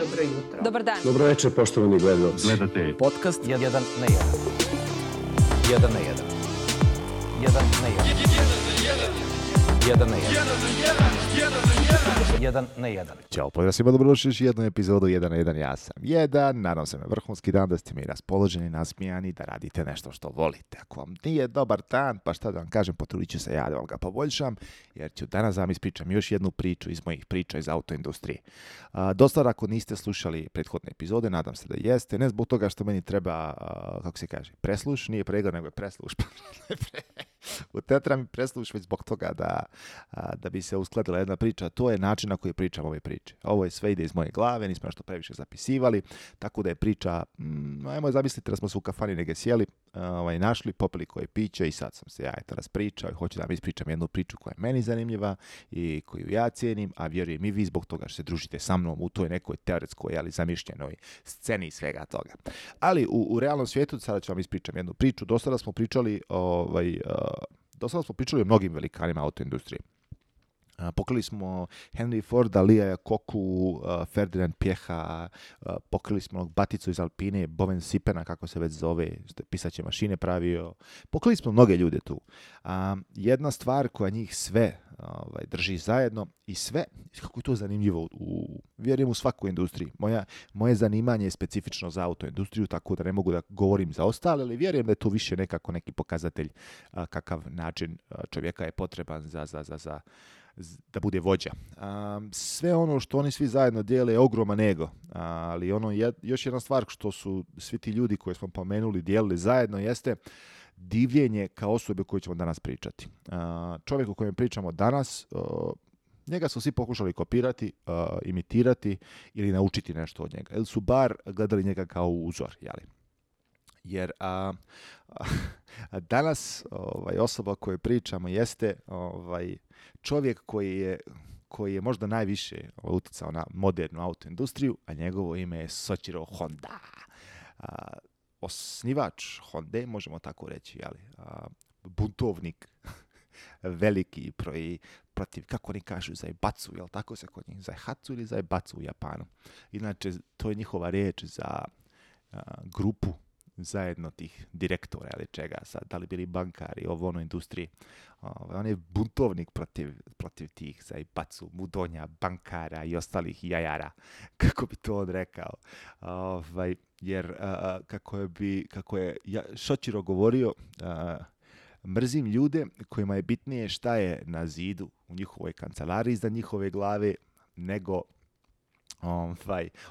Dobro jutro. Dobar dan. Dobro večer, poštovani gledalci. Gledate Podcast 1 na 1. 1 na 1. 1 na 1. 1 na 1. 1 na 1. Ćao, pozdrav svima, dobrodošli još jednu epizodu 1 na 1, ja sam 1, nadam se na vrhunski dan, da ste mi raspoloženi, nasmijani, da radite nešto što volite. Ako vam nije dobar dan, pa šta da vam kažem, potrudit ću se ja da vam ga poboljšam, jer ću danas vam ispričam još jednu priču iz mojih priča iz autoindustrije. Dosta ako niste slušali prethodne epizode, nadam se da jeste, ne zbog toga što meni treba, kako se kaže, presluš, nije pregled, nego je presluš. Treba mi presluš već zbog toga da bi se uskladila jedna priča. To je način na koji pričam ove priče. Ovo je sve ide iz moje glave, nismo nešto previše zapisivali, tako da je priča, ajmo zamislite da smo se u kafani negdje sjeli, našli, popili koje piće i sad sam se ja raspričao i hoću da vam ispričam jednu priču koja je meni zanimljiva i koju ja cijenim, a vjerujem i vi zbog toga što se družite sa mnom u toj nekoj teoretskoj, ali zamišljenoj sceni svega toga. Ali u realnom svijetu sada ću vam ispričam jednu priču. Do sada smo pričali o mnogim velikanima autoindustrije. Pokrili smo Henry Forda, Lia Iacoccu, Ferdinand Piecha, pokrili smo Baticu iz Alpine, Boven Sipena, kako se već zove, što je pisaće mašine pravio. Pokrili smo mnoge ljude tu. Jedna stvar koja njih sve drži zajedno i sve, kako je to zanimljivo, vjerujem u svakoj industriji. Moje zanimanje je specifično za autoindustriju, tako da ne mogu da govorim za ostale, ali vjerujem da je to više nekako neki pokazatelj kakav način čovjeka je potreban za da bude vođa. Sve ono što oni svi zajedno dijele je ogroman ego, ali još jedna stvar što su svi ti ljudi koje smo pomenuli dijelili zajedno jeste divljenje kao osobe koju ćemo danas pričati. Čovjek o kojem pričamo danas, njega su svi pokušali kopirati, imitirati ili naučiti nešto od njega. Ili su bar gledali njega kao uzor, jeli? Jer danas osoba o kojoj pričamo jeste čovjek koji je možda najviše utjecao na modernu autoindustriju, a njegovo ime je Soichiro Honda. Osnivač Honde, možemo tako reći, jeli? Buntovnik veliki protiv, kako oni kažu, Zaibatsu, jel tako se kod njih, Zaihatsu ili Zaibatsu u Japanu. Inače, to je njihova riječ za grupu zajedno tih direktora ili čega sad, da li bili bankari, ono industriji. On je buntovnik protiv tih Zaibatsu, mudonja, bankara i ostalih jajara, kako bi to on rekao. Jer kako je Soichiro govorio, mrzim ljude kojima je bitnije šta je na zidu u njihovoj kancelariji iznad njihove glave, nego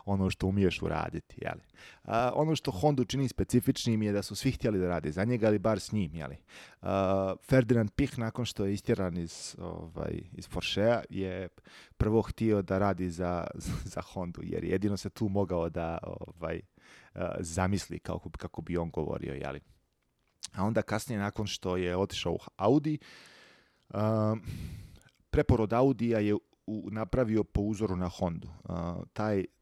ono što umiješ uraditi, jeli. Ono što Hondu čini specifičnim je da su svi htjeli da rade za njega, ali bar s njim, jeli. Ferdinand Piech, nakon što je istjeran iz Porschea, je prvo htio da radi za Hondu, jer jedino se tu mogao da zamisli kako bi on govorio, jeli. A onda kasnije, nakon što je otišao u Audi, preporod Audija je napravio po uzoru na Hondu.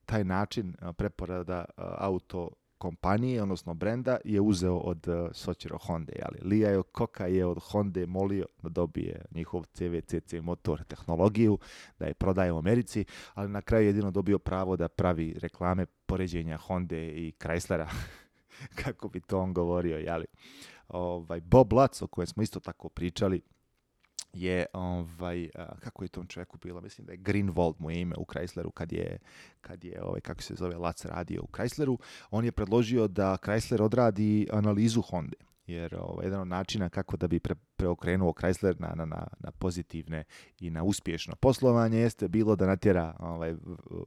Taj način preporoda auto kompanije, odnosno brenda, je uzeo od Soichiro Honde. Lia Iacocca je od Honde molio da dobije njihov CVCC motor tehnologiju, da je prodaje u Americi, ali na kraju jedino dobio pravo da pravi reklame poređenja Honde i Chryslera, kako bi to on govorio. Jeli. Bob Lutz, o kojem smo isto tako pričali, je, kako je tom čovjeku bilo, mislim da je Greenwald mu je ime u Chrysleru, kad je kako se zove, Lutz radio u Chrysleru, on je predložio da Chrysler odradi analizu Honde, jer jedan od načina kako da bi preokrenuo Chrysler na pozitivne i na uspješno poslovanje jeste bilo da natjera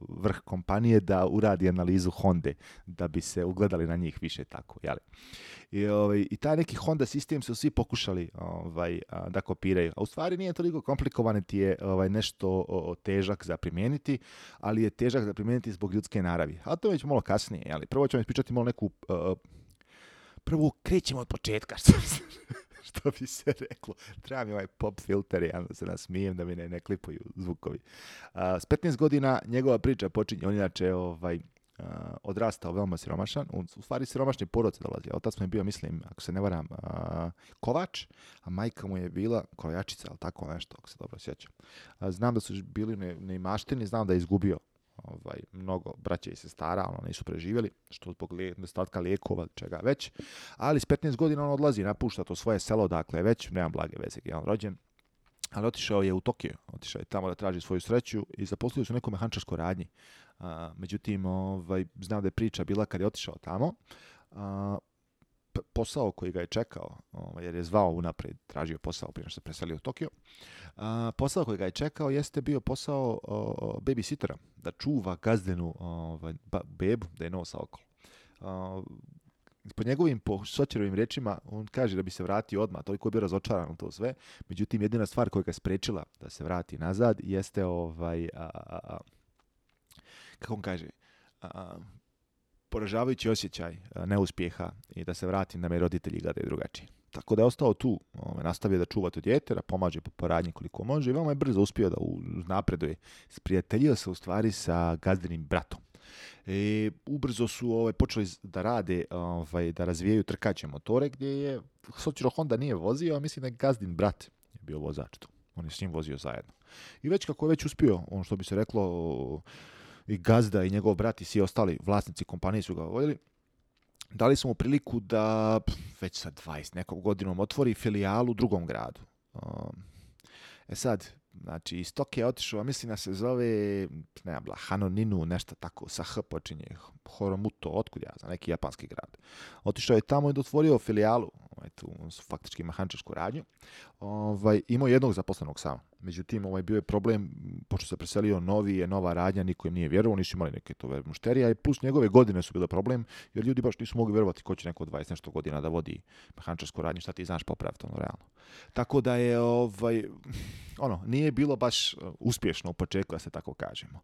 vrh kompanije da uradi analizu Honde, da bi se ugledali na njih više tako, jeli. I taj neki Honda sistem su svi pokušali da kopiraju, a u stvari nije toliko komplikovan, ti je nešto težak za primijeniti, ali je težak za primijeniti zbog ljudske naravi. A to već malo kasnije, jeli. Prvo ćemo ispričati malo neku prvo krećemo od početka, što bi se reklo. Treba mi ovaj pop filter, ja da se nasmijem, da mi ne klipuju zvukovi. S 15 godina njegova priča počinje, on inače odrastao veoma siromašan, u stvari siromašni porod se dolazi. Otac mu je bio, mislim, ako se ne varam, kovač, a majka mu je bila krojačica, ali tako nešto, ako se dobro sjećam. Znam da su bili neimaštini, znam da je izgubio mnogo braće i sestara, nisu preživjeli, što zbog nedostatka lijekova, čega već, ali s 15 godina on odlazi, napušta to svoje selo, dakle već, nema blage veze gdje je on rođen, ali otišao je u Tokio, otišao je tamo da traži svoju sreću i zaposlio se u nekoj mehančarskoj radnji. Međutim, znam da je priča bila kad je otišao tamo, posao koji ga je čekao, jer je zvao unaprijed, tražio posao prije što se preselio u Tokio, posao koji ga je čekao jeste bio posao babysittera, da čuva gazdenu bebu, da je nosa okolo. Po njegovim, po Sočerovim riječima, on kaže da bi se vratio odmah, toliko je bio razočaran u to sve. Međutim, jedina stvar koja ga je sprečila da se vrati nazad jeste kako on kaže, poražavajući osjećaj neuspjeha i da se vrati da me roditelji gledaju drugačije. Tako da je ostao tu, nastavio da čuva to dijete, da pomaže po radnji koliko može i veoma je brzo uspio da napreduje. Sprijateljio se u stvari sa gazdinim bratom. Ubrzo su počeli da rade, da razvijaju trkaće motore, gdje je Soichiro Honda nije vozio, a mislim da je gazdin brat je bio vozač tu. On je s njim vozio zajedno. I već kako je već uspio, ono što bi se reklo, i gazda i njegov brat i svi ostali vlasnici kompanije su ga voljeli, dali su mu priliku da već sa 20 nekog godinom otvori filijalu u drugom gradu. Sad, znači, iz Tokija je otišao, mislim da se zove, Hanoninu, nešto tako, sa H počinje, Horomuto, otkud ja znam, neki japanski grad. Otišao je tamo i otvorio filijalu, tu su faktički mehančarsku radnju, imao jednog zaposlenog samo. Međutim, bio je problem, pošto se preselio nova radnja, niko im nije vjerovao, nisu imali neke to mušterija i plus njegove godine su bile problem, jer ljudi baš nisu mogli vjerovati ko će neko 20 nešto godina da vodi mehančarsku radnju, šta ti znaš popraviti, realno. Tako da je, nije bilo baš uspješno u početku, da se tako kažemo.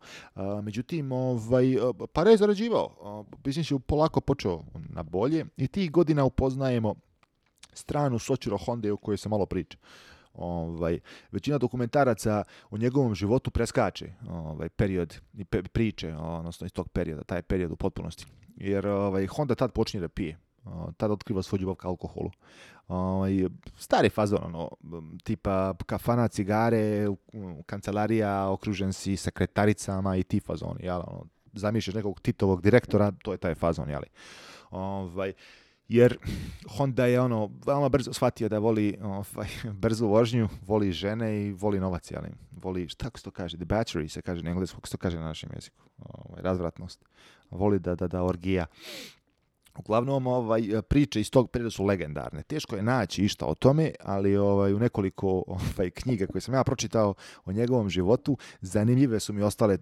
Međutim, para je zarađivao, biznis je polako počeo na bolje i tih godina upoznajemo stranu Soichiro Honde o kojoj se malo priča. Većina dokumentaraca o njegovom životu preskače period i priče, odnosno iz tog perioda, taj period u potpunosti. Jer Honda tad počinje da pije. Tad otkriva svoj ljubav ka alkoholu. Stari fazon, tipa kafana, cigare, kancelarija, okružen si sekretaricama i ti fazoni. Zamišljaš nekog Titovog direktora, to je taj fazon. Jer Honda je veoma brzo shvatio da voli brzu vožnju, voli žene i voli novac, voli, šta se to kaže, debauchery se kaže na engleskom, kako se to kaže na našem jeziku, razvratnost, voli da orgija. Uglavnom, priče iz tog perioda su legendarne. Teško je naći išta o tome, ali u nekoliko knjiga koje sam ja pročitao o njegovom životu, zanimljive su mi ostale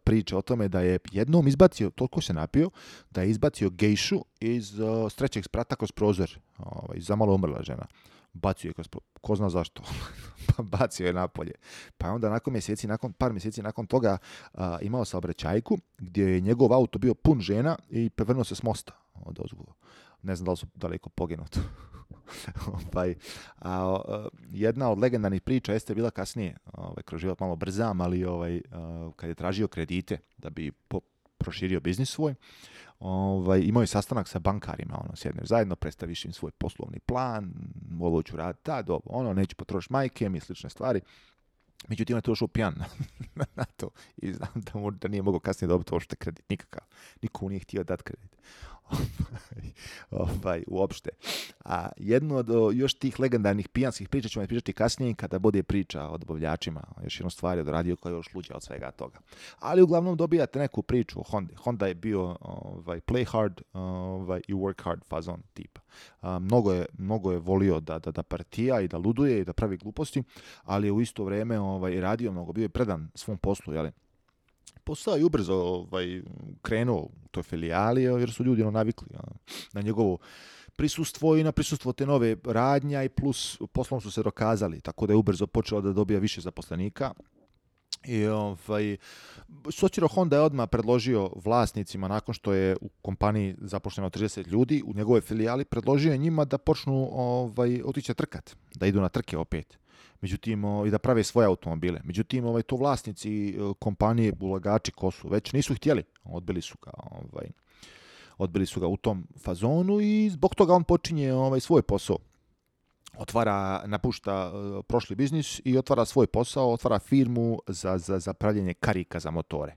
priče o tome da je jednom izbacio, toliko se napio, da je izbacio gejšu iz trećeg sprata kroz prozor. Zamalo umrla žena. Bacio je ko zna zašto. Bacio je napolje. Pa onda par mjeseci nakon toga imao saobraćajku gdje je njegov auto bio pun žena i prevrnuo se s mosta. Ne znam da li su daleko poginuti. Jedna od legendarnih priča jeste bila kasnije, kroz život malo brzam, ali kad je tražio kredite da bi proširio biznis svoj, imao je sastanak sa bankarima, sjedneš zajedno, predstaviš im svoj poslovni plan, ovo ću raditi, neću potrošiti majke mi, slične stvari. Međutim, on je to došao pijan na to i znam da nije mogao kasnije dobiti uopšte kredit, nikakav. Niko nije htio dati kredit. Uopšte. A jedno od još tih legendarnih pijanskih priča ćemo pričati kasnije kada bude priča o dobavljačima. Još jednu stvar je odradio koja je još luđa od svega toga. Ali uglavnom dobijate neku priču o Hondi. Honda je bio play hard i work hard fazon tipa. Mnogo je volio da partija i da luduje i da pravi gluposti, ali je u isto vrijeme radio mnogo, bio je predan svom poslu, posao je ubrzo krenuo u toj filijali, jer su ljudi navikli na njegovo prisustvo i na prisustvo te nove radnja i plus poslom su se dokazali, tako da je ubrzo počeo da dobija više zaposlenika. I Soichiro Honda je odmah predložio vlasnicima, nakon što je u kompaniji zaposleno 30 ljudi, u njegovoj filijali, predložio je njima da počnu otići trkat, da idu na trke opet. Međutim, i da prave svoje automobile. Međutim, to vlasnici kompanije, ulagači ko su, već nisu htjeli. Odbili su ga u tom fazonu i zbog toga on počinje svoj posao. Napušta prošli biznis i otvara svoj posao, otvara firmu za pravljenje karika za motore.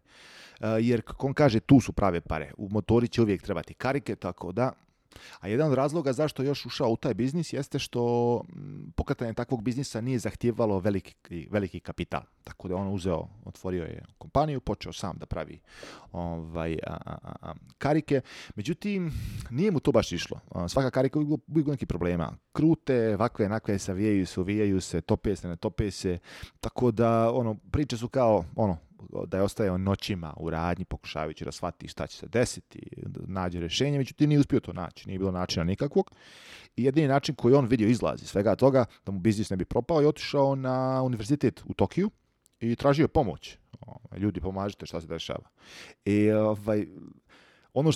jer kako on kaže, tu su prave pare. U motori će uvijek trebati karike, tako da. A jedan od razloga zašto je još ušao u taj biznis jeste što pokretanje takvog biznisa nije zahtijevalo veliki kapital. Tako da on otvorio je kompaniju, počeo sam da pravi karike. Međutim, nije mu to baš išlo. Svaka karika uvijek neki problema. Krute, ovakve, onakve, uvijaju se, tope se, ne tope se. Tako da priče su kao da je ostajao noćima u radnji pokušavajući da shvati šta će se desiti, da nađe rješenje, međutim nije uspio to naći, nije bilo načina nikakvog. I jedini način koji on vidio izlazi svega toga, da mu biznis ne bi propao, je otišao na univerzitet u Tokiju i tražio pomoć. Ljudi, pomažite, šta se dešava. I ono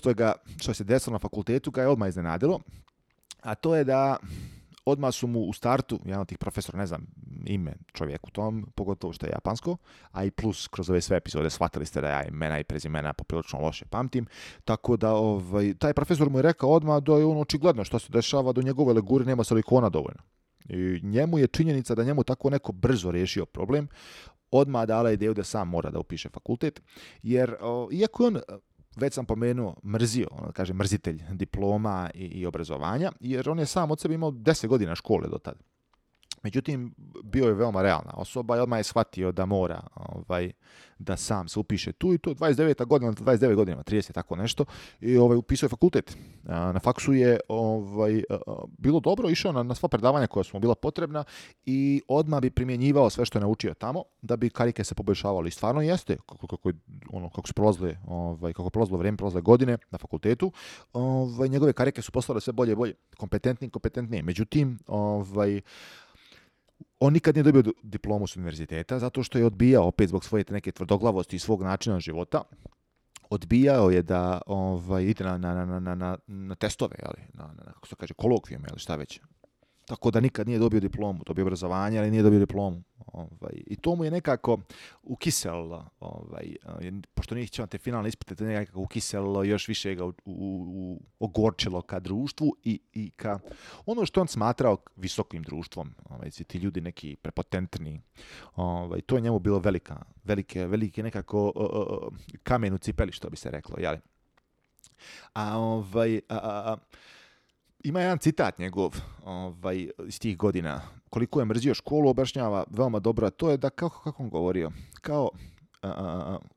što se desilo na fakultetu ga je odmah iznenadilo, a to je da odmah su mu u startu, jedan od tih profesora, ne znam ime čovjeku tom, pogotovo što je japansko, a i plus kroz ove sve epizode shvatili ste da ja imena i prezimena poprilično loše pamtim, tako da taj profesor mu je rekao odmah da je očigledno što se dešava, da u njegove leguri nema silikona dovoljno. I njemu je činjenica da njemu tako neko brzo riješio problem, odmah dala ideju da sam mora da upiše fakultet, jer iako je on, već sam pomenuo, mrzitelj diploma i obrazovanja, jer on je sam od sebe imao 10 godina škole do tada. Međutim, bio je veoma realna osoba i odmah je shvatio da mora da sam se upiše tu i to 29 godina, 30 tako nešto, i upisao je fakultet. Na faksu je bilo dobro, išao na sva predavanja koja su mu bila potrebna i odmah bi primjenjivao sve što je naučio tamo da bi karike se poboljšavale. I stvarno jeste, kako su prolazilo vrijeme, prolazile godine na fakultetu, njegove karike su postale sve bolje i bolje, kompetentnije. Međutim, on nikad nije dobio diplomu s univerziteta zato što je odbijao, opet zbog svoje neke tvrdoglavosti i svog načina života, odbijao je da ide na testove, kako se kaže, kolokvijum, šta već. Tako da nikad nije dobio diplomu, dobio obrazovanje, ali nije dobio diplomu. I to mu je nekako ukiselo, pošto nije htio te finalne ispite, to je nekako ukiselo, još više ga ogorčilo ka društvu i ka ono što on smatrao visokim društvom. Ti ljudi neki prepotentni. To je njemu bilo velike nekako kamen u cipeli, što bi se reklo. Jeli? Ima jedan citat njegov iz tih godina. Koliko je mrzio školu, objašnjava veoma dobro, a to je da, kako on govorio, kao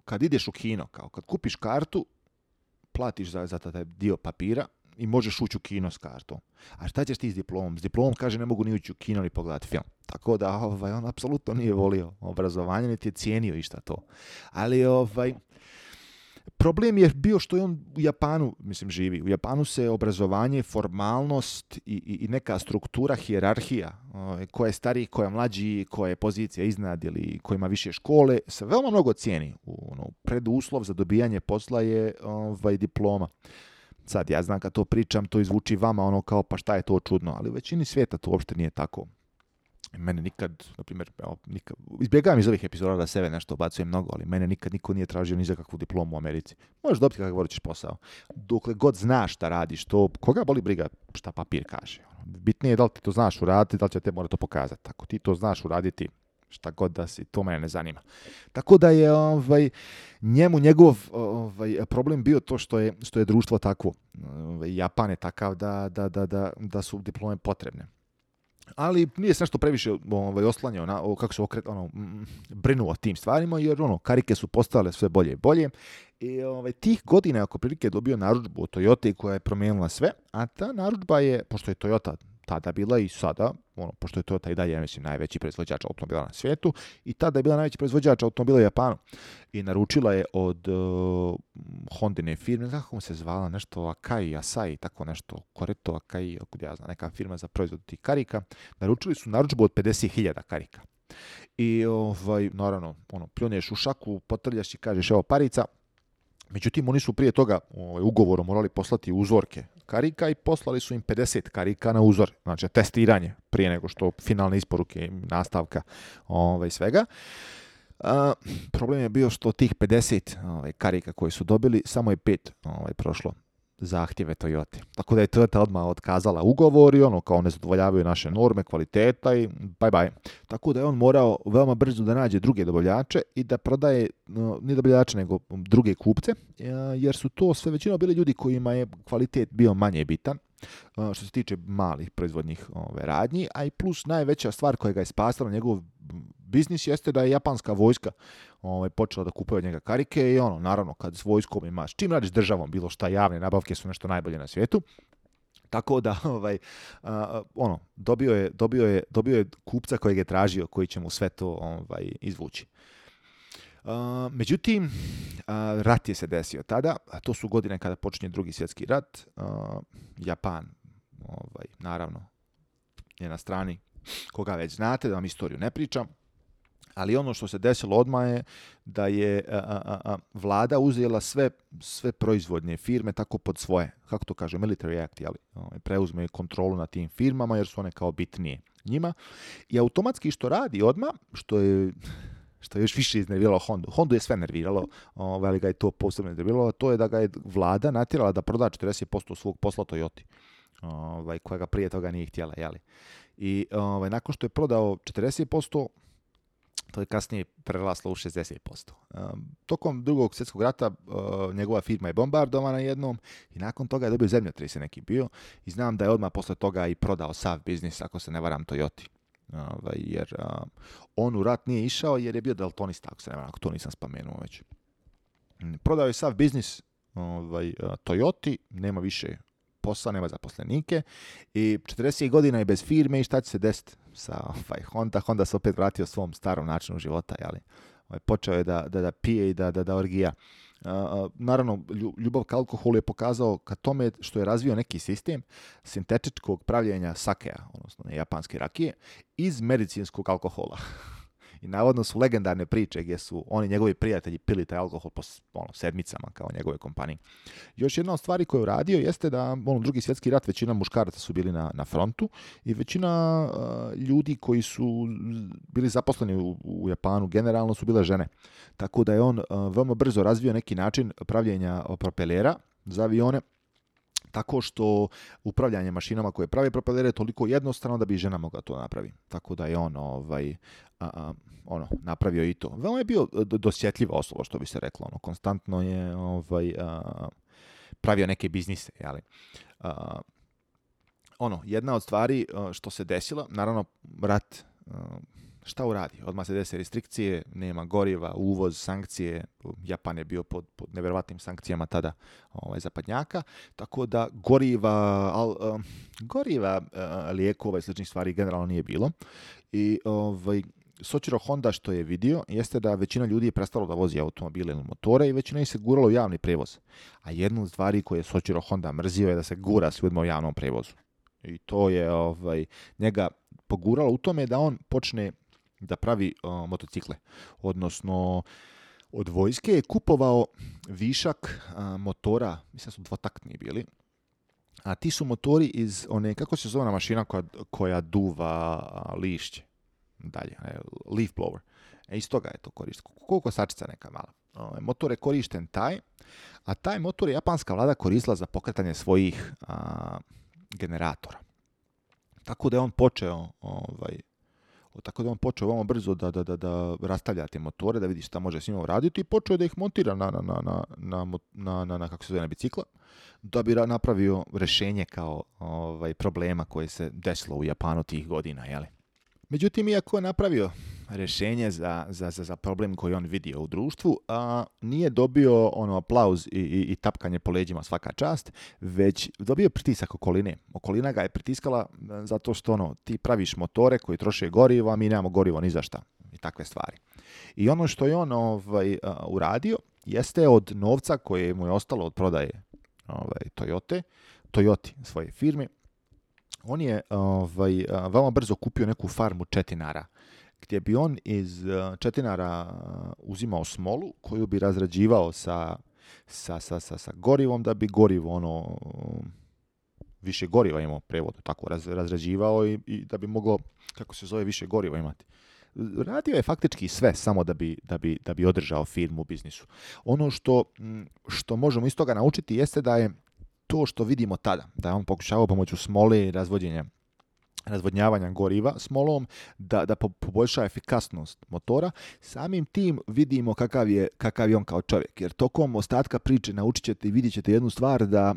kad ideš u kino, kao kad kupiš kartu, platiš za taj dio papira i možeš ući u kino s kartom. A šta ćeš ti s diplomom? S diplomom, kaže, ne mogu ni ući u kino ni pogledati film. Tako da on apsolutno nije volio obrazovanje, niti je cijenio išta to. Ali problem je bio što je on u Japanu, živi. U Japanu se obrazovanje, formalnost i neka struktura, hijerarhija, koja je stariji, koja je mlađi, koja je pozicija iznad ili koja ima više škole, se veoma mnogo cijeni. Preduslov za dobijanje posla je diploma. Sad, ja znam kad to pričam, to izvuči vama kao pa šta je to čudno, ali u većini svijeta to uopšte nije tako. Mene nikad, na primjer, izbjegavam iz ovih epizoda da sebe nešto obacujem mnogo, ali mene nikad niko nije tražio ni za kakvu diplomu u Americi. Možeš dobiti kakav hoćeš posao. Dokle god znaš šta radiš, to koga boli briga šta papir kaže. Bitnije je da li ti to znaš uraditi, da li će te mora to pokazati. Ako ti to znaš uraditi, šta god da si, to mene ne zanima. Tako da je njegov problem bio to što je društvo takvo. Japan je takav da su diplome potrebne. Ali nije se nešto previše oslanjao kako se brinuo o tim stvarima, jer karike su postale sve bolje i bolje. I tih godina ako prilike dobio narudžbu od Toyota koja je promijenila sve, a ta narudžba je, pošto je Toyota tada bila i sada, pošto je Toyota i dalje, najveći proizvođač automobila na svijetu, i tada je bila najveći proizvođač automobila u Japanu. I naručila je od Hondine firme, kako se zvala, nešto Asai, tako nešto, Koreto, Akai, neka firma za proizvod tih karika. Naručili su narudžbu od 50.000 karika. I naravno, pljuneš u šaku, potrljaš i kažeš, evo parica. Međutim, oni su prije toga ugovorom morali poslati uzorke karika i poslali su im 50 karika na uzor, znači testiranje prije nego što finalne isporuke, nastavka svega. Problem je bio što tih 50 karika koje su dobili, samo je 5 prošlo zahtjeve Toyota. Tako da je Toyota odmah otkazala ugovor i kao ne zadovoljavaju naše norme, kvaliteta i bye bye. Tako da je on morao veoma brzo da nađe druge dobavljače i da prodaje, ne dobavljače nego druge kupce, jer su to sve većinom bili ljudi kojima je kvalitet bio manje bitan, što se tiče malih proizvodnih radnji, a i plus najveća stvar koja ga je spasala njegov biznis jeste da je japanska vojska počela da kupuje od njega karike i naravno kad s vojskom imaš, čim radiš državom, bilo šta, javne nabavke su nešto najbolje na svijetu. Tako da dobio je kupca kojeg je tražio, koji će mu sve to izvući. Međutim, rat je se desio tada, a to su godine kada počinje Drugi svjetski rat. Japan, naravno, je na strani koga već znate, da vam istoriju ne pričam. Ali ono što se desilo odmah je da je vlada uzela sve proizvodnje firme tako pod svoje, kako to kaže, military act, preuzme kontrolu nad tim firmama jer su one kao bitnije njima. I automatski što radi odmah, što je još više iznerviralo Hondu. Hondu je sve nerviralo, ali ga je to posebno nerviralo, to je da ga je vlada natjerala da proda 40% svog posla Toyoti, koja ga prije toga nije htjela. I nakon što je prodao 40%, to je kasnije preraslo u 60%. Tokom Drugog svjetskog rata njegova firma je bombardovana jednom i nakon toga je dobio zemljotres neki bio i znam da je odmah posle toga i prodao sav biznis, ako se ne varam, Toyoti. Jer on u rat nije išao jer je bio daltonista, ako se ne varam, ako to nisam spomenuo već. Prodao je sav biznis Toyoti, nema više posla, nema zaposlenike i 40 godina je bez firme i šta će se desiti sa Honda se opet vratio svom starom načinu života, počeo je da pije i da orgija. Naravno, ljubav ka alkoholu je pokazao ka tome što je razvio neki sistem sintetičkog pravljenja sakea, odnosno japanske rakije, iz medicinskog alkohola. I navodno su legendarne priče gdje su oni njegovi prijatelji pili taj alkohol po sedmicama kao njegove kompanije. Još jedna od stvari koju je radio jeste da Drugi svjetski rat većina muškaraca su bili na frontu i većina ljudi koji su bili zaposleni u Japanu generalno su bile žene. Tako da je on veoma brzo razvio neki način pravljenja propelera za avione, tako što upravljanje mašinama koje prave propelere je toliko jednostavno da bi žena mogla to napravi. Tako da je on napravio i to. Veoma je bio dosjetljiva osoba, što bi se reklo. Konstantno je pravio neke biznise. Jedna od stvari što se desila, naravno rat, šta uradi? Odmah se dese restrikcije, nema goriva, uvoz, sankcije. Japan je bio pod nevjerovatnim sankcijama tada zapadnjaka, tako da goriva, lijekova i sličnih stvari generalno nije bilo. I Soichiro Honda što je vidio jeste da većina ljudi je prestalo da vozi automobile ili motore i većina ih se guralo u javni prevoz. A jedna od stvari koje je Soichiro Honda mrzio je da se gura s ljudima u javnom prevozu. I to je njega poguralo u tome da on počne da pravi motocikle. Odnosno, od vojske je kupovao višak motora, mislim da su dvotaktni bili, a ti su motori iz one, kako se zove mašina koja duva lišće dalje, leaf blower. Iz toga je to koristio. Koliko sačica neka mala. Motor je korišten taj, a taj motor je japanska vlada koristila za pokretanje svojih generatora. Tako da je on počeo veoma brzo da rastavlja te motore, da vidi šta može s njima uraditi i počeo da ih montira na kako se zove, na bicikla, da bi napravio rješenje kao problema koje se desilo u Japanu tih godina, jeli. Međutim, iako je napravio rješenje za problem koji on vidio u društvu, nije dobio aplauz i tapkanje po leđima svaka čast, već dobio pritisak okoline. Okolina ga je pritiskala zato što ti praviš motore koji troše gorivo, a mi nemamo gorivo ni za šta i takve stvari. I ono što je on uradio jeste od novca koje mu je ostalo od prodaje Toyoti svoje firme, on je veoma brzo kupio neku farmu četinara, gdje bi on iz četinara uzimao smolu koju bi razrađivao sa gorivom, da bi gorivo više goriva imao, prevodu tako razrađivao i da bi moglo, kako se zove, više goriva imati. Radio je faktički sve samo da bi održao firmu u biznisu. Ono što možemo iz toga naučiti jeste da je to što vidimo tada, da je on pokušavao pomoću smole i razvodnjavanja goriva smolom da poboljša efikasnost motora, samim tim vidimo kakav je on kao čovjek. Jer tokom ostatka priče naučit ćete i vidjet ćete jednu stvar, da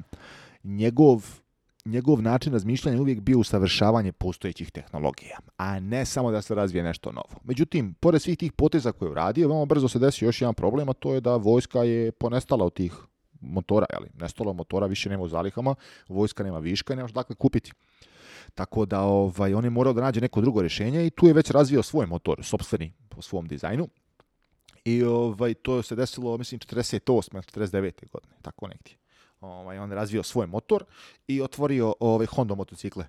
njegov način razmišljanja uvijek bio usavršavanje postojećih tehnologija, a ne samo da se razvije nešto novo. Međutim, pored svih tih poteza koje je uradio, veoma brzo se desio još jedan problem, a to je da vojska je ponestala od tih motora, nestalo motora, više nema u zalihama, vojska nema viška i nemaš dakle kupiti. Tako da on je morao da nađe neko drugo rješenje i tu je već razvio svoj motor, sopstveni po svom dizajnu. I to se desilo, mislim, 48. 49. godine, tako negdje. On je razvio svoj motor i otvorio Honda motocikle.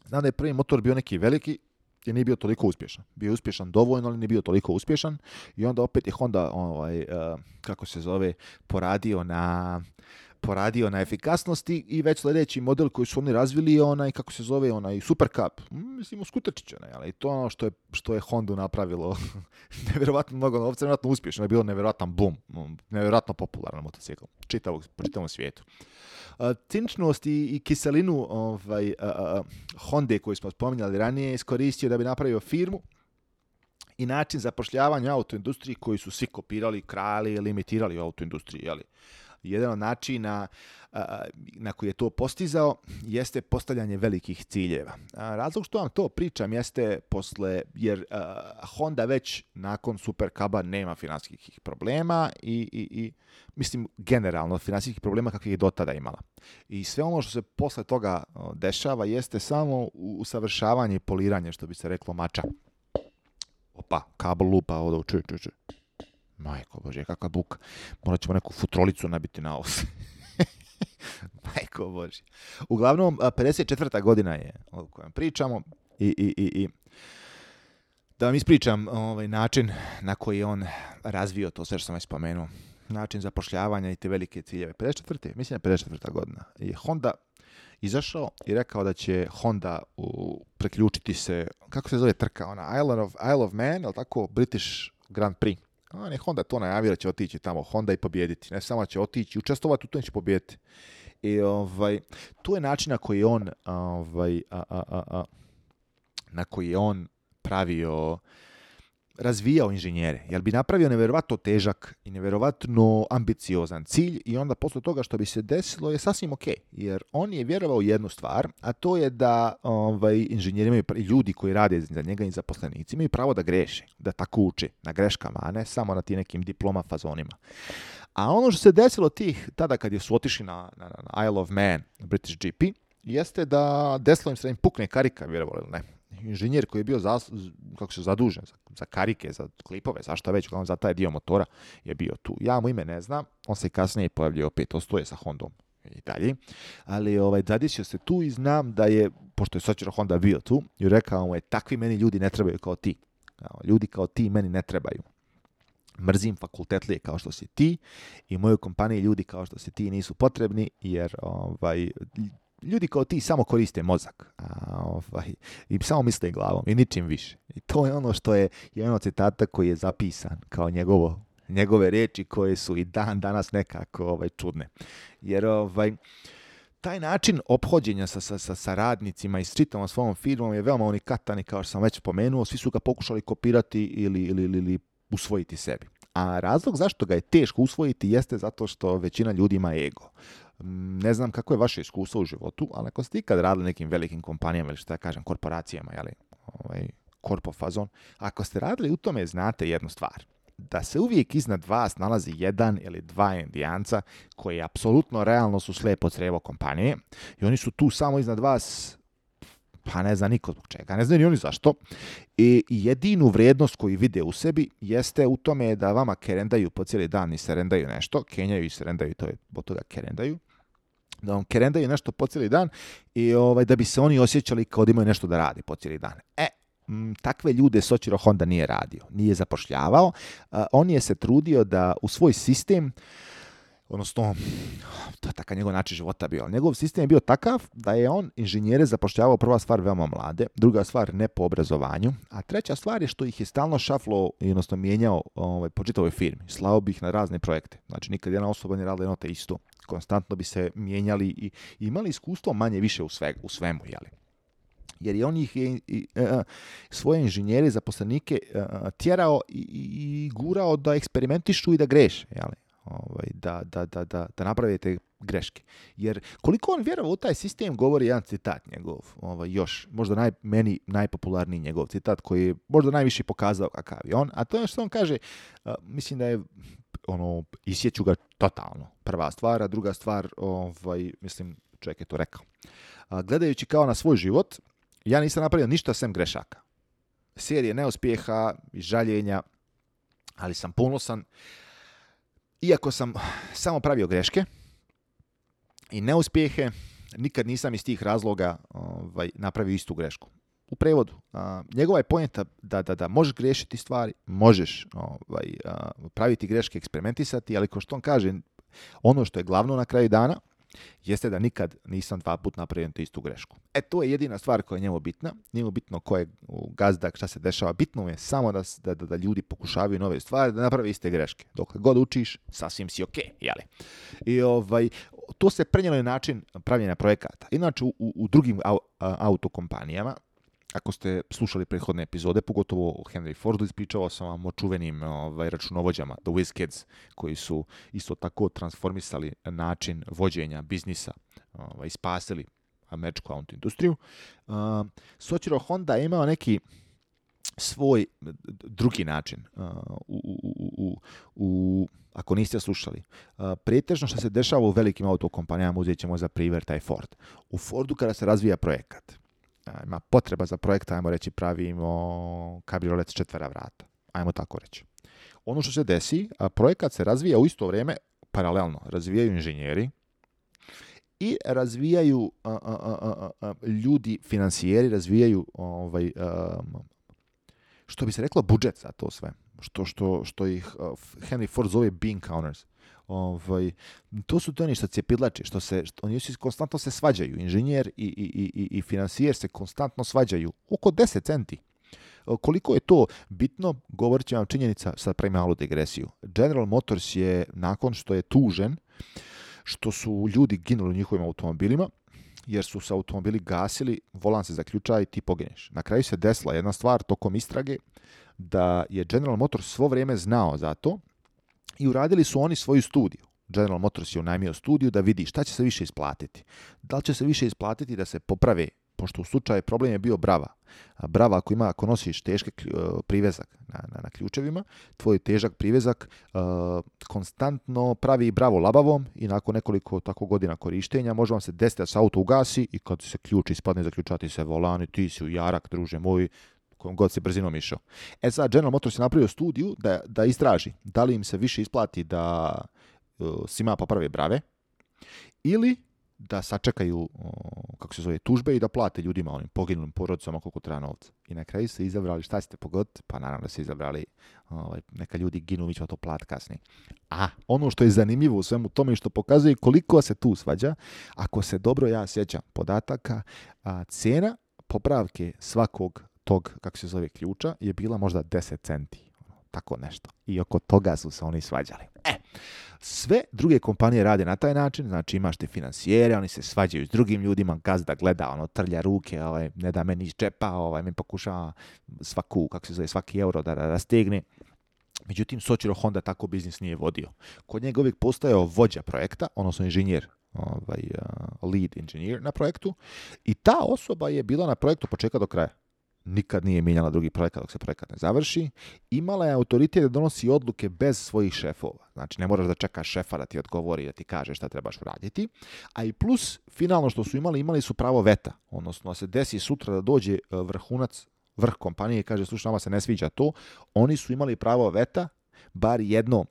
Znam da je prvi motor bio neki veliki, jer nije bio toliko uspješan. Bio je uspješan dovoljno, ali nije bio toliko uspješan. I onda opet je Honda, poradio na efikasnosti i već sljedeći model koji su oni razvili je onaj Super Cup. Mislim, skuterčić onaj, i to je ono što je Hondu napravilo nevjerovatno mnogo novca, nevjerovatno uspješno, je bilo nevjerovatan boom, nevjerovatno popularan motocikl po čitavom svijetu. Ciničnost i kiselinu Honde koju smo spominjali ranije iskoristio da bi napravio firmu i način zapošljavanja u autoindustriji koji su svi kopirali, krali ili imitirali u autoindustriji. Jedan od načina na koji je to postizao jeste postavljanje velikih ciljeva. Razlog što vam to pričam jeste jer Honda već nakon Super Cuba nema financijskih problema i mislim generalno financijskih problema kakvih je do tada imala. I sve ono što se posle toga dešava jeste samo usavršavanje i poliranje, što bi se reklo mača. Opa, kabel lupa ovdje, čuj. Majko Bože, kakva buka. Morat ćemo neku futrolicu nabiti na os. Majko Bože. Uglavnom, 54. godina je o kojem pričamo i da vam ispričam način na koji je on razvio to sve što sam već spomenuo. Način zapošljavanja i te velike ciljeve. 54. Mislim da je 54. godina. I Honda izašao i rekao da će Honda preključiti se, kako se zove trka, ona Isle of Man, je li tako, British Grand Prix. Honda to najavio da će otići tamo Honda i pobijediti. Ne samo će otići, učestovati u tom će pobijediti. I to je način na koji on razvijao inženjere. Jer bi napravio nevjerovatno težak i nevjerovatno ambiciozan cilj i onda posle toga što bi se desilo je sasvim ok. Jer on je vjerovao jednu stvar, a to je da inženjeri imaju, ljudi koji rade za njega i zaposlenici imaju pravo da greše, da tako uče na greškama, a ne samo na tim nekim diploma fazonima. A ono što se desilo tada kad su otišli na Isle of Man, British GP, jeste da desilo im se da im pukne karika, vjerovali ili ne. Inženjer koji je bio zadužen za karike, za klipove, zašto već, za taj dio motora je bio tu. Ja mu ime ne znam, on se kasnije pojavljio opet, ostoje sa Hondom i dalje, ali zadesio se tu i znam da je, pošto je Soichiro Honda bio tu, i rekao mu je, takvi meni ljudi ne trebaju kao ti. Ljudi kao ti meni ne trebaju. Mrzim fakultetlije kao što si ti i moju kompaniji ljudi kao što si ti nisu potrebni, jer ljudi kao ti samo koriste mozak i samo misle glavom i ničim više. I to je ono što je jedan od citata koji je zapisan kao njegove riječi koje su i dan danas nekako čudne. Jer taj način ophođenja sa radnicima i s čitavom svojom firmom je veoma unikatan i kao što sam već spomenuo, svi su ga pokušali kopirati ili usvojiti sebi. A razlog zašto ga je teško usvojiti jeste zato što većina ljudi ima ego. Ne znam kako je vaše iskustvo u životu, ali ako ste ikad radili nekim velikim kompanijama ili korporacijama, korpo fazon, ako ste radili u tome znate jednu stvar. Da se uvijek iznad vas nalazi jedan ili dva indijanca koji apsolutno realno su slijepo crijevo kompanije i oni su tu samo iznad vas, pa ne zna niko zbog čega, ne znaju ni oni zašto. I jedinu vrijednost koju vide u sebi jeste u tome da vama kerendaju po cijeli dan i serendaju nešto, kenjaju i serendaju, to je od toga kerendaju, da vam kerendaju nešto po cijeli dan i da bi se oni osjećali kao da imaju nešto da radi po cijeli dan. Takve ljude Soichiro Honda nije radio, nije zapošljavao, on je se trudio da u svoj sistem odnosno, to je takav njegov način života bio. Njegov sistem je bio takav da je on inženjere zapošljavao, prva stvar, veoma mlade, druga stvar, ne po obrazovanju, a treća stvar je što ih je stalno šaflo i odnosno mijenjao po čitavoj firmi. Slao bi ih na razne projekte. Znači, nikad jedna osoba ne radila jedno te isto. Konstantno bi se mijenjali i imali iskustvo manje više u svemu, jeli? Jer je on ih svoje inženjere, zaposlenike tjerao i gurao da eksperimentišu i da greše, jeli? Da napravite greške. Jer koliko on vjerovao u taj sistem, govori jedan citat njegov, još, možda meni najpopularniji njegov citat koji je možda najviše pokazao kakav je on, a to je što on kaže, mislim da je isjeću ga totalno, prva stvar, a druga stvar, mislim, čovjek je to rekao. Gledajući kao na svoj život, ja nisam napravio ništa sem grešaka. Serije neuspjeha i žaljenja, ali sam ponosan. Iako sam samo pravio greške i neuspjehe, nikad nisam iz tih razloga napravio istu grešku. U prevodu, njegova je poenta da možeš griješiti stvari, možeš praviti greške, eksperimentisati, ali kao što on kaže, ono što je glavno na kraju dana, jeste da nikad nisam 2 puta napravio istu grešku. To je jedina stvar koja je njemu bitna. Nije mu bitno ko je gazda, šta se dešava. Bitno je samo da ljudi pokušavaju nove stvari, da naprave iste greške. Dok god učiš, sasvim si ok, jeli? I to se prenijelo je način pravljenja projekata. Inače, u drugim autokompanijama, ako ste slušali prethodne epizode, pogotovo o Henry Fordu, ispričavao sam vam o čuvenim računovođama, The WizKids, koji su isto tako transformisali način vođenja biznisa i spasili američku autoindustriju. Soichiro Honda je imao neki svoj drugi način. Ako niste slušali, pretežno što se dešava u velikim autokompanijama, uzet ćemo za primjer taj Ford. U Fordu kada se razvija projekat, ima potreba za projekt, ajmo reći, pravimo kabriolet s 4 vrata. Ajmo tako reći. Ono što se desi, projekat se razvija u isto vrijeme, paralelno, razvijaju inženjeri i razvijaju ljudi, financijeri, razvijaju što bi se reklo budžet za to sve. Što ih Henry Ford zove bean counters. To su oni što cijepidlači, oni konstantno se svađaju. Inženjer i financijer se konstantno svađaju. Oko 10 centi. Koliko je to bitno, govorit će vam činjenica, sad pravim malu digresiju. General Motors je, nakon što je tužen, što su ljudi ginuli u njihovim automobilima, jer su se automobili gasili, volan se zaključa i ti pogineš. Na kraju se desila jedna stvar tokom istrage, da je General Motors svo vrijeme znao za to i uradili su oni svoju studiju. General Motors je unajmio studiju da vidi šta će se više isplatiti. Da li će se više isplatiti da se poprave, pošto u slučaju problem je bio brava. Brava ako nosiš težak privezak na ključevima, tvoj težak privezak konstantno pravi bravo labavom i nakon nekoliko tako godina korištenja može vam se desiti da se auto ugasi i kad se ključ ispadne, zaključati se volan i ti si u jarak, druže moj, kojom god se brzinom išao. Sad, General Motors je napravio studiju da istraži da li im se više isplati da svima poprave brave ili da sačekaju tužbe i da plate ljudima, onim poginulim porodicama koliko treba novca. I na kraju se izabrali, šta ćete pogoditi? Pa naravno da se izabrali neka ljudi ginu, mi ćemo to plati kasnije. A ono što je zanimljivo u svemu tome i što pokazuje koliko se tu svađa, ako se dobro ja sjećam podataka, cijena popravke svakog tog, ključa je bila možda 10 centi. Tako nešto. I oko toga su se oni svađali. Sve druge kompanije rade na taj način, znači imaš te financijere, oni se svađaju s drugim ljudima, gazda gleda, trlja ruke, ne da meni iz džepa, mi pokušava svaki euro da rastegne. Međutim, Soichiro Honda tako biznis nije vodio. Kod njega uvijek postojao vođa projekta, odnosno inženjer, lead engineer na projektu, i ta osoba je bila na projektu početka do kraja. Nikad nije mijenjala drugi projekat dok se projekat ne završi. Imala je autoritet da donosi odluke bez svojih šefova. Znači, ne moraš da čekaš šefa da ti odgovori i da ti kaže šta trebaš uraditi. A i plus, finalno što su imali su pravo veta. Odnosno, se desi sutra da dođe vrh kompanije i kaže, slušaj, nama se ne sviđa to. Oni su imali pravo veta, bar jedno,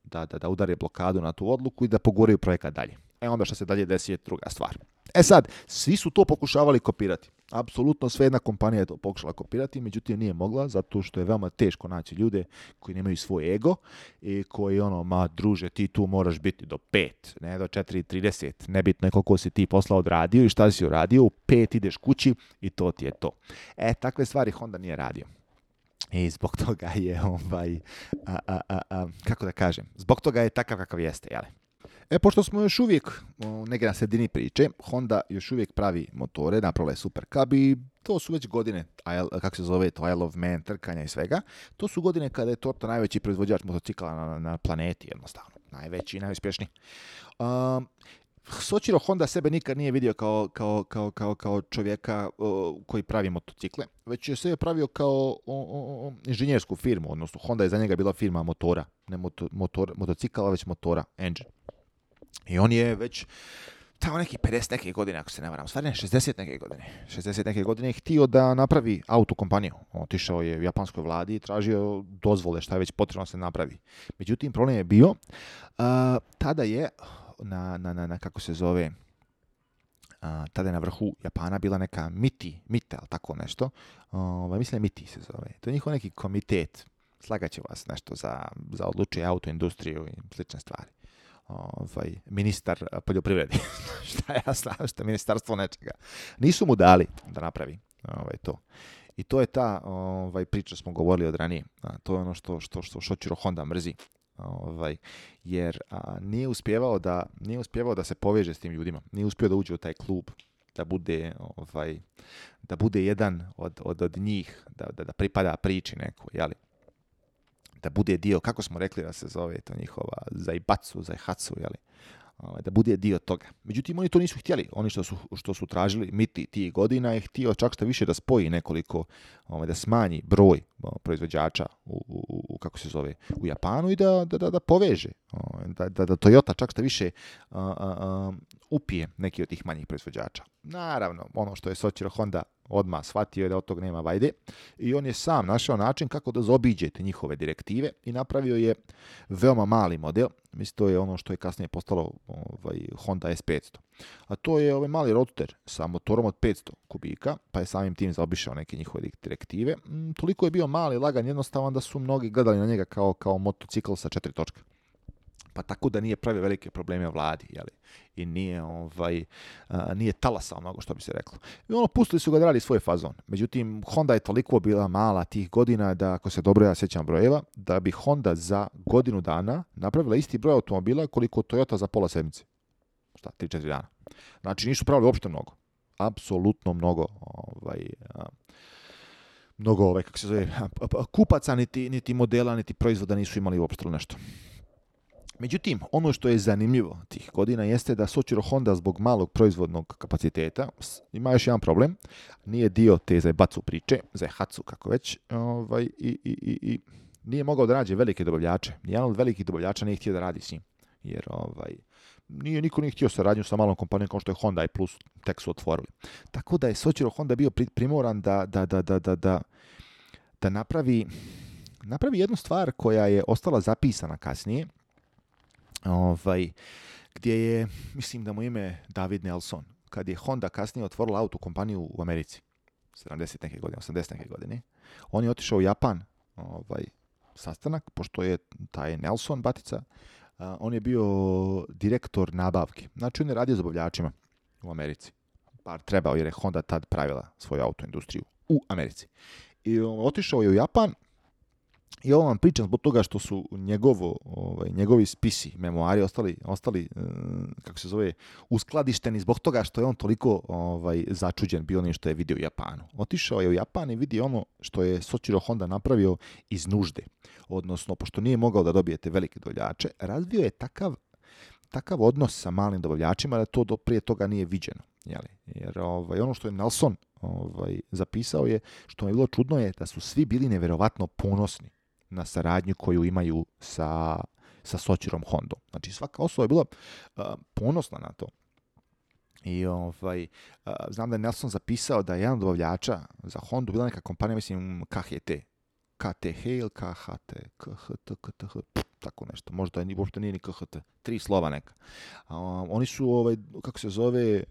da udare blokadu na tu odluku i da poguraju projekat dalje. Onda što se dalje desi je druga stvar. E sad, svi su to pokušavali kopirati. Apsolutno sve jedna kompanija je to pokušala kopirati, međutim nije mogla, zato što je veoma teško naći ljude koji nemaju svoj ego i koji ma druže, ti tu moraš biti do 5, ne do 4:30, nebitno je koliko si ti posla odradio i šta si uradio, u 5 ideš kući i to ti je to. Takve stvari Honda nije radio. I zbog toga je, kako da kažem, zbog toga je takav kakav jeste, jel? Pošto smo još uvijek negdje na sredini priče, Honda još uvijek pravi motore, napravila je Super Cub i to su već godine, kako se zove to, Isle of Man, trkanja i svega. To su godine kada je Toyota najveći proizvođač motocikla na planeti, jednostavno. Najveći i najuspješniji. Soichiro Honda sebe nikad nije vidio kao čovjeka koji pravi motocikle, već je sebe pravio kao inženjersku firmu, odnosno Honda je za njega bila firma motora, ne motocikala, već motora, engine. I on je već tamo neki 50 neke godine, ako se ne varam, stvarno 60 neke godine. 60 neke godine je htio da napravi autokompaniju. Otišao je u japanskoj vladi i tražio dozvole šta je već potrebno se napravi. Međutim, problem je bio, tada je na kako se zove, tada je na vrhu Japana bila neka MITI, ali tako nešto. Mislim MITI se zove. To je njihov neki komitet. Slagaće vas nešto za odlučuje autoindustriju i slične stvari. Ministar poljoprivrede. Šta ja znam, šta ministarstvo nečega. Nisu mu dali da napravi to. I to je ta priča smo govorili od ranije. To je ono što Soichiro Honda mrzi. Jer nije uspjevao da se poveže s tim ljudima. Nije uspio da uđe u taj klub, da bude jedan od njih, da pripada priči nekoj, jeli? Da bude dio, kako smo rekli da se zove to njihova Zaihatsu, jeli? Da bude dio toga. Međutim, oni to nisu htjeli. Oni što su tražili MITI tih godina je htio čak što više da spoji nekoliko, da smanji broj proizvođača kako se zove, u Japanu i da poveže. Da Toyota čak što više upije neki od tih manjih proizvođača. Naravno, ono što je Soichiro Honda odmah shvatio je da od tog nema vajde i on je sam našao način kako da zaobiđe te njihove direktive i napravio je veoma mali model. Mislim, to je ono što je kasnije postalo Honda S500. A to je ovaj mali roadster sa motorom od 500 kubika, pa je samim tim zaobišao neke njihove direktive. Toliko je bio mali, lagan, jednostavan da su mnogi gledali na njega kao motocikl sa 4 točke. Pa tako da nije pravio velike probleme vladi, jeli? I nije talasao mnogo, što bi se reklo. I pustili su ga da radi svoj fazon. Međutim, Honda je toliko bila mala tih godina da, ako se dobro ja sjećam brojeva, da bi Honda za godinu dana napravila isti broj automobila koliko Toyota za pola sedmice. 3-4 dana. Znači, nisu pravili uopšte mnogo. Apsolutno mnogo kako se zove, kupaca, niti modela, niti proizvoda nisu imali uopšte nešto. Međutim, ono što je zanimljivo tih godina jeste da Soichiro Honda zbog malog proizvodnog kapaciteta ima još jedan problem. Nije dio te Zaibatsu priče, Zaihatsu kako već, i nije mogao da nađe velike dobavljače. Nijedan od velikih dobavljača nije htio da radi s njim. Jer niko nije htio saradnju sa malom kompanijom kao što je Honda i plus tek su otvorili. Tako da je Soichiro Honda bio primoran da napravi jednu stvar koja je ostala zapisana kasnije, gdje je, mislim da mu ime David Nelson, kad je Honda kasnije otvorila autokompaniju u Americi, 70 neke godine, 80 neke godine, on je otišao u Japan, sastanak, pošto je taj Nelson batica, on je bio direktor nabavke. Znači, on je radio s dobavljačima u Americi. Bar trebao, jer je Honda tad pravila svoju autoindustriju u Americi. I otišao je u Japan. I ovo vam pričam zbog toga što su njegovi spisi, memoari ostali kako se zove, uskladišteni zbog toga što je on toliko začuđen bio onim što je vidio u Japanu. Otišao je u Japan i vidio ono što je Soichiro Honda napravio iz nužde. Odnosno, pošto nije mogao da dobijete velike dobavljače, razvio je takav odnos sa malim dobavljačima da to prije toga nije viđeno. Jeli? Jer ono što je Nelson zapisao je, što mi je bilo čudno je da su svi bili nevjerovatno ponosni na saradnju koju imaju sa Soichirom Hondom. Znači, svaka osoba je bila ponosna na to. I znam da je Nelson zapisao da je jedan od dobavljača za Hondu bila neka kompanija, mislim, KTH ili KHT, tako nešto. Možda uopšte nije ni KHT. 3 slova neka. Oni su, kako se zove,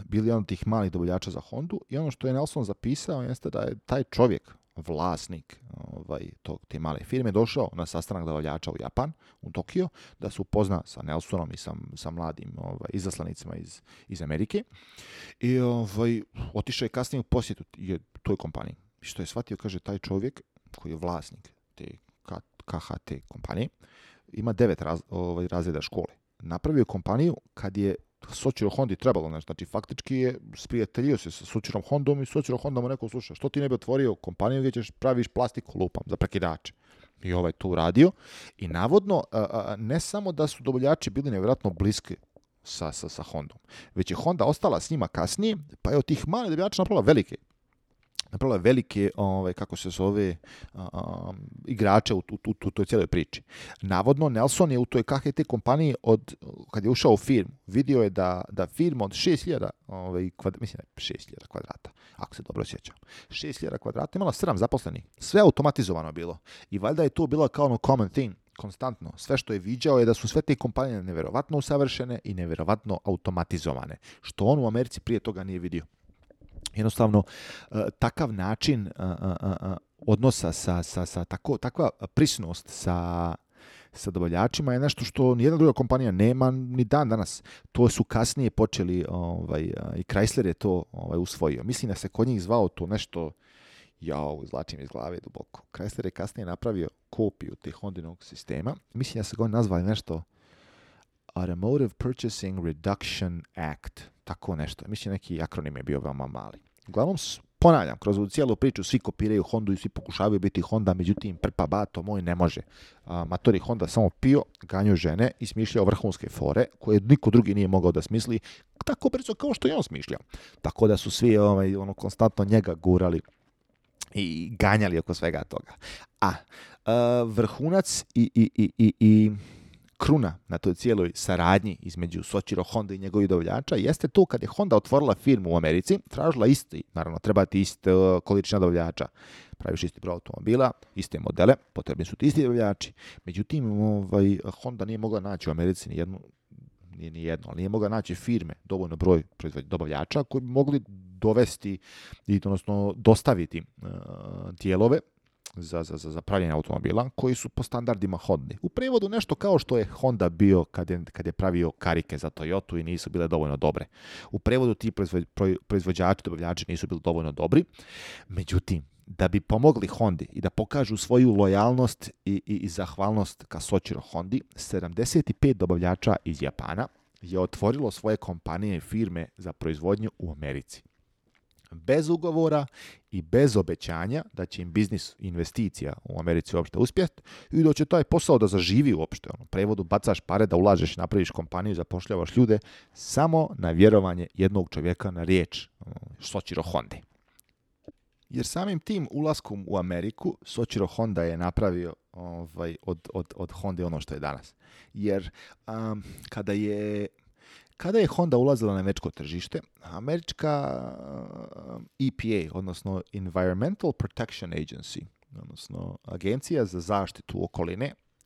bili jedan od tih malih dobavljača za Hondu i ono što je Nelson zapisao jeste da je taj čovjek, vlasnik te male firme, došao na sastanak dobavljača u Japan, u Tokio, da se upozna sa Nelsonom i sa mladim izaslanicima iz Amerike i otišao je kasnije u posjetu toj kompaniji. I što je shvatio, kaže, taj čovjek koji je vlasnik te KHT kompanije ima 9 razreda škole. Napravio je kompaniju kad je Soichiro Hondi trebalo, znači faktički je sprijateljio se sa Soichirom Hondom i Soichiro Honda mu rekao, slušaj, što ti ne bi otvorio kompaniju gdje ćeš praviš plastiku, lupam, za prekidače. I to uradio. I navodno, ne samo da su dobavljači bili nevjerojatno bliski sa Hondom, već je Honda ostala s njima kasnije, pa je od tih malih dobavljača napravila velike kako se zove, igrače u toj cijeloj priči. Navodno, Nelson je u toj KHT kompaniji, kad je ušao u firmu, vidio je da firma od 6.000 kvadrata, ako se dobro sjećam, 6.000 kvadrata imala 7 zaposlenih. Sve automatizovano bilo. I valjda je to bila kao common thing, konstantno. Sve što je viđao je da su sve te kompanije nevjerovatno usavršene i nevjerovatno automatizovane, što on u Americi prije toga nije vidio. Jednostavno, takav način odnosa takva prisnost sa dobavljačima je nešto što nijedna druga kompanija nema ni dan danas. To su kasnije počeli, i Chrysler je to usvojio. Mislim da se kod njih zvao to nešto, izvlačim iz glave duboko. Chrysler je kasnije napravio kopiju tih Hondinog sistema. Mislim da se ga nazvali nešto Automotive Purchasing Reduction Act. Tako nešto. Mislim neki akronim je bio veoma mali. Uglavnom, ponavljam, kroz ovu cijelu priču svi kopiraju Hondu i svi pokušavaju biti Honda, međutim, prpa bato moj ne može. Matori Honda samo pio, ganjao žene i smišljao vrhunske fore koje niko drugi nije mogao da smisli tako brzo kao što je on smišljao. Tako da su svi konstantno njega gurali i ganjali oko svega toga. Vrhunac i kruna na toj cijeloj saradnji između Soichiro Honda i njegovih dobavljača jeste to kad je Honda otvorila firmu u Americi, tražila naravno treba ti iste količina dobavljača. Praviš isti broj automobila, iste modele, potrebni su ti isti dobavljači. Međutim, Honda nije mogla naći u Americi nije mogla naći firme, dovoljno broj dobavljača koji bi mogli dovesti odnosno dostaviti dijelove za pravljenje automobila koji su po standardima Honda. U prevodu nešto kao što je Honda bio kad je pravio karike za Toyotu i nisu bile dovoljno dobre. U prevodu ti proizvođači, dobavljači nisu bili dovoljno dobri. Međutim, da bi pomogli Hondi i da pokažu svoju lojalnost i zahvalnost ka Soichiro Hondi, 75 dobavljača iz Japana je otvorilo svoje kompanije i firme za proizvodnju u Americi. Bez ugovora i bez obećanja da će im biznis investicija u Americi uopšte uspjeti i da će taj posao da zaživi uopšte. U prevodu bacaš pare da ulažeš, napraviš kompaniju, zapošljavaš ljude samo na vjerovanje jednog čovjeka na riječ, Soichiro Honda. Jer samim tim ulaskom u Ameriku Soichiro Honda je napravio od Honda ono što je danas. Jer kada je Honda ulazila na američko tržište, američka EPA, odnosno Environmental Protection Agency, odnosno Agencija za zaštitu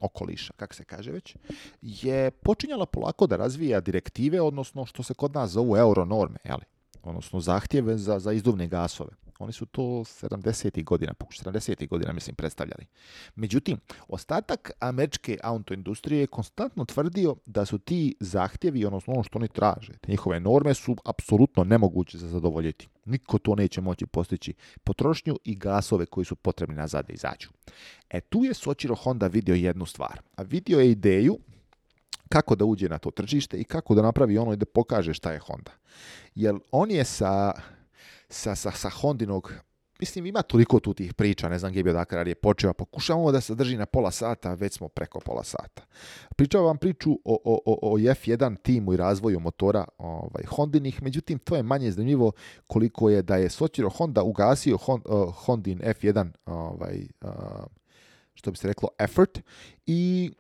okoliša, kako se kaže već, je počinjala polako da razvija direktive, odnosno što se kod nas zovu euronorme, odnosno zahtjeve za izduvne gasove. Oni su to 70. godina, mislim, predstavljali. Međutim, ostatak američke autoindustrije je konstantno tvrdio da su ti zahtjevi, odnosno ono što oni traže, te njihove norme su apsolutno nemoguće za zadovoljiti. Niko to neće moći postići potrošnju i gasove koji su potrebni nazad da izađu. Tu je Soichiro Honda vidio jednu stvar. A vidio je ideju kako da uđe na to tržište i kako da napravi ono i da pokaže šta je Honda. Jer on je sa Hondinog, mislim, ima toliko tu tih priča, ne znam gdje je bio dakle je počeo, pokušavamo da se drži na pola sata, već smo preko pola sata. Pričao vam priču o F1 timu i razvoju motora Hondinih, međutim, to je manje zanimljivo koliko je da je Soichiro Honda ugasio Hondin F1 što bi se reklo effort, i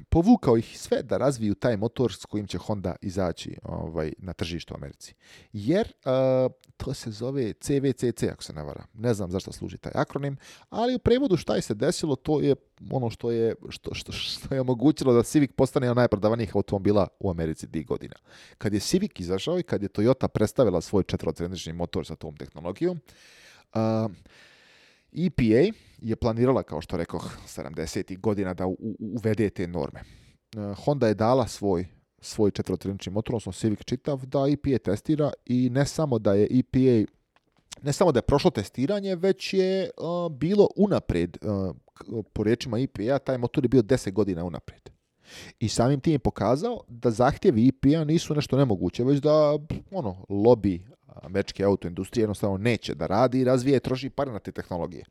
povukao ih sve da razviju taj motor s kojim će Honda izaći na tržištu u Americi. Jer to se zove CVCC, ako se ne vara. Ne znam zašto služi taj akronim, ali u prevodu šta je se desilo, to je ono što je omogućilo da Civic postane najprodavanijih automobila u Americi tih godina. Kad je Civic izašao i kad je Toyota predstavila svoj četverocylindrični motor sa tom tehnologijom, EPA je planirala, kao što rekoh, 70. godina da uvede te norme. Honda je dala svoj četverocylindrični motor, odnosno Civic čitav, da EPA testira, i ne samo da je prošlo testiranje, već je bilo unaprijed, po riječima EPA, taj motor je bio 10 godina unaprijed. I samim tim je pokazao da zahtjevi EPA nisu nešto nemoguće, već da lobby američke autoindustrije jednostavno neće da radi i razvije i troši pare na te tehnologije.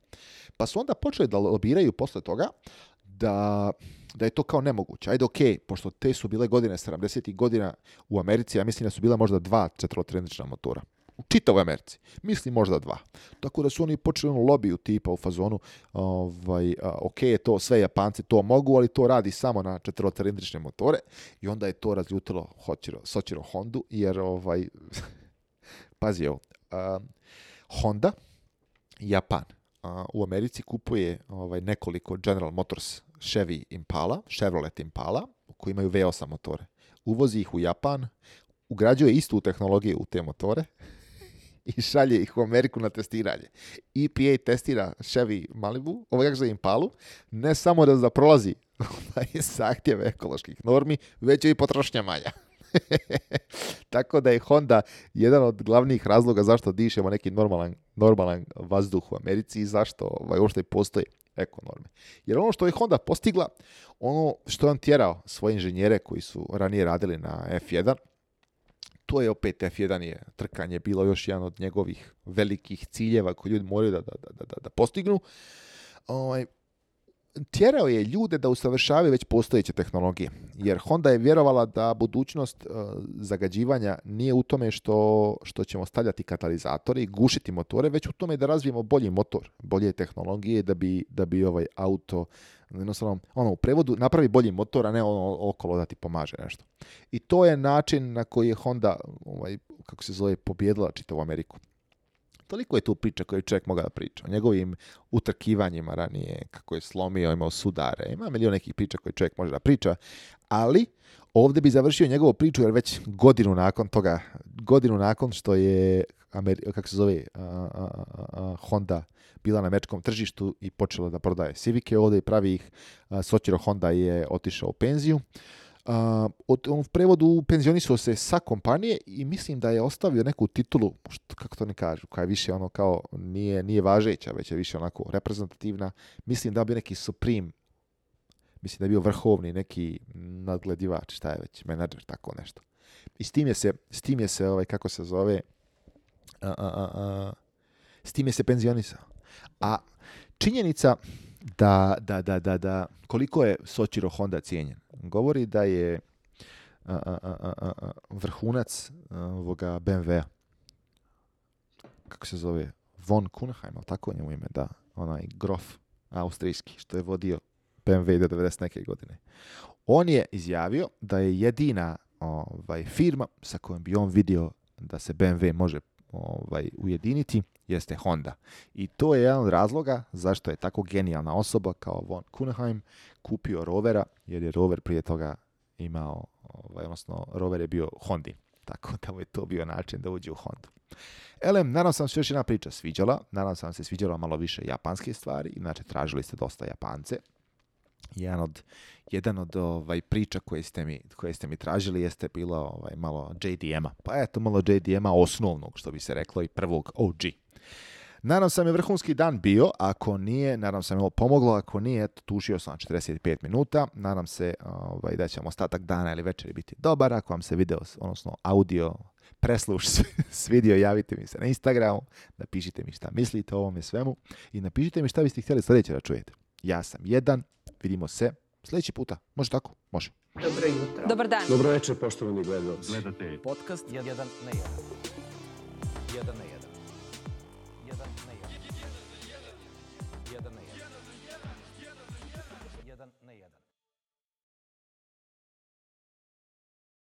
Pa su onda počeli da lobiraju posle toga da je to kao nemoguće. Ajde, okej, pošto te su bile godine 70. godina u Americi, ja mislim da su bila možda 2 četverocylindrična motora. U čitavoj Americi. Mislim možda 2. Tako da su oni počeli lobiju tipa u fazonu, to sve Japanci to mogu, ali to radi samo na četverocylindrične motore, i onda je to razljutilo Soichiro Hondu, jer pazi ovo, Honda, Japan, u Americi kupuje nekoliko General Motors Chevrolet Impala, koji imaju V8 motore. Uvozi ih u Japan, ugrađuje istu tehnologiju u te motore i šalje ih u Ameriku na testiranje. EPA testira Chevy Malibu, Impalu, ne samo da prolazi zahtjeve ekoloških normi, već i potrošnja manja. Tako da je Honda jedan od glavnih razloga zašto dišemo neki normalan vazduh u Americi i zašto uopšte postoji ekonorme. Jer ono što je Honda postigla, ono što je on tjerao svoje inženjere koji su ranije radili na F1, to je opet F1 je trkanje bilo još jedan od njegovih velikih ciljeva koji ljudi moraju da postignu. Tjerao je ljude da usavršavaju već postojeće tehnologije. Jer Honda je vjerovala da budućnost zagađivanja nije u tome što ćemo stavljati katalizatori i gušiti motore, već u tome da razvijemo bolji motor, bolje tehnologije da bi auto, jednostavno, u prevodu napravi bolji motor, a ne okolo da ti pomaže nešto. I to je način na koji je Honda, pobjedila čitavu Ameriku. Toliko je tu priča koju čovjek mogao da priča. O njegovim utrkivanjima ranije, kako je slomio, imao sudare. Ima milion nekih priča koje čovjek može da priča, ali ovdje bi završio njegovu priču, jer već godinu nakon što je Honda bila na američkom tržištu i počela da prodaje Civice ovdje i pravi ih, Soichiro Honda je otišao u penziju. U prevodu penzionisao se sa kompanije i mislim da je ostavio neku titulu, kako to ne kažu, koja je više kao nije važeća, već je više onako reprezentativna. Mislim da je bio neki Supreme, mislim da je bio vrhovni neki nadgledivač, šta je već, menadžer, tako nešto. I s tim je se kako se zove, s tim je se penzionisao. A činjenica da koliko je Soichiro Honda cijenjen, govori da je vrhunac ovoga BMW-a, kako se zove, von Kuhnheim, tako njemu ime, da, onaj grof austrijski, što je vodio BMW do 90 neke godine. On je izjavio da je jedina firma sa kojom bi on vidio da se BMW može ujediniti jeste Honda. I to je jedan od razloga zašto je tako genijalna osoba kao von Kuhnheim kupio Rovera, jer je Rover prije toga imao, odnosno Rover je bio Hondin. Tako da mu je to bio način da uđe u Hondu. Nadam sam se još jedna priča sviđala. Nadam sam se sviđala malo više japanske stvari. Inače, tražili ste dosta Japance. Jedan od priča koje ste mi tražili jeste bilo malo JDM-a. Pa eto, malo JDM-a osnovnog, što bi se reklo, i prvog OG. Nadam sam je vrhunski dan bio, ako nije, nadam sam je ovo pomoglo, ako nije, eto, tušio sam 45 minuta, nadam se da će vam ostatak dana ili večeri biti dobar, ako vam se video, odnosno audio presluš svidio, javite mi se na Instagramu, napišite mi šta mislite o ovome svemu i napišite mi šta biste htjeli sljedeće da čujete. Ja sam Jedan, vidimo se sljedeći puta, može tako? Može. Dobro jutro. Dobar dan. Dobro večer, poštovani gledalci. Podcast 1 na 1. 1 na 1.